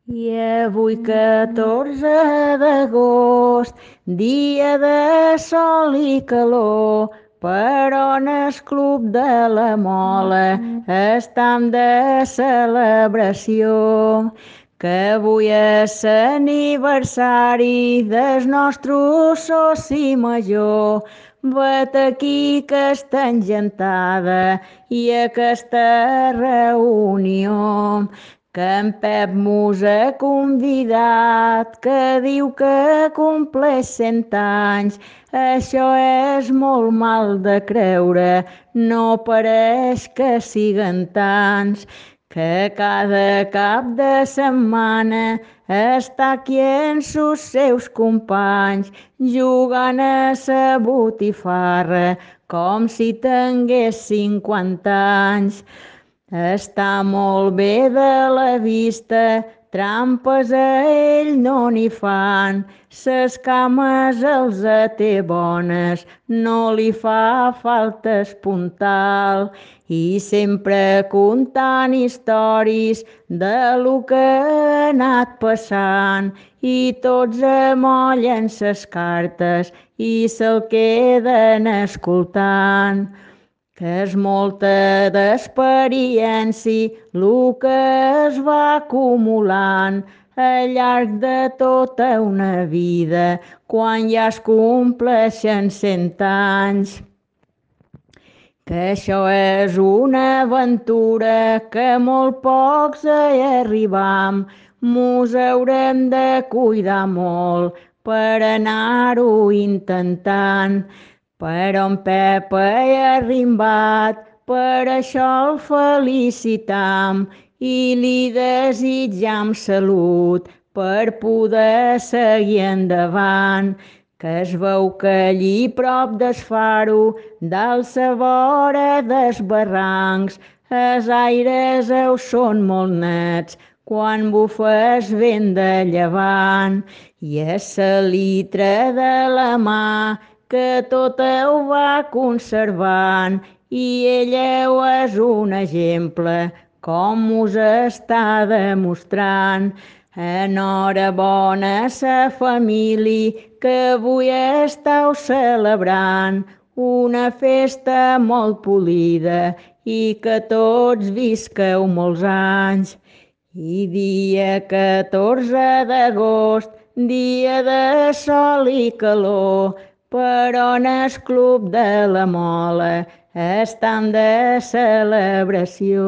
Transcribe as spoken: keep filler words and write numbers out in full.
I avui catorze d'agost, dia de sol i calor, però en el club de la Mola estam de celebració, que avui és l'aniversari del nostre soci major. Vet aquí que està engentada i aquesta reunió que en Pep mos ha convidat, que diu que compleix cent anys. Això és molt mal de creure, no pareix que siguen tants, que cada cap de setmana està aquí amb els seus companys, jugant a sa botifarra com si tingués cinquanta anys. Està molt bé de la vista, trampes a ell no n'hi fan, ses cames els té bones, no li fa falta espuntal, i sempre contant històries de lo que ha anat passant, i tots amollen ses cartes i se'l queden escoltant, que és molta d'experiència lo que es va acumulant al llarg de tota una vida, quan ja es compleixen cent anys. Que això és una aventura que molt pocs hi arribam, mos haurem de cuidar molt per anar-ho intentant. Però en Pep hi ha arrimbat, per això el felicitam i li desitjam salut per poder seguir endavant, que es veu que allí prop del faro, dalt sa vora dels barrancs, els aires heu són molt nets quan bufa el vent de llevant, i és sa litra de la mà que tot ho va conservant, i ella és un exemple com us està demostrant. Enhorabona sa família que avui estàu celebrant una festa molt polida i que tots visqueu molts anys. I dia catorze d'agost, dia de sol i calor, però en el club de la Mola estan de celebració.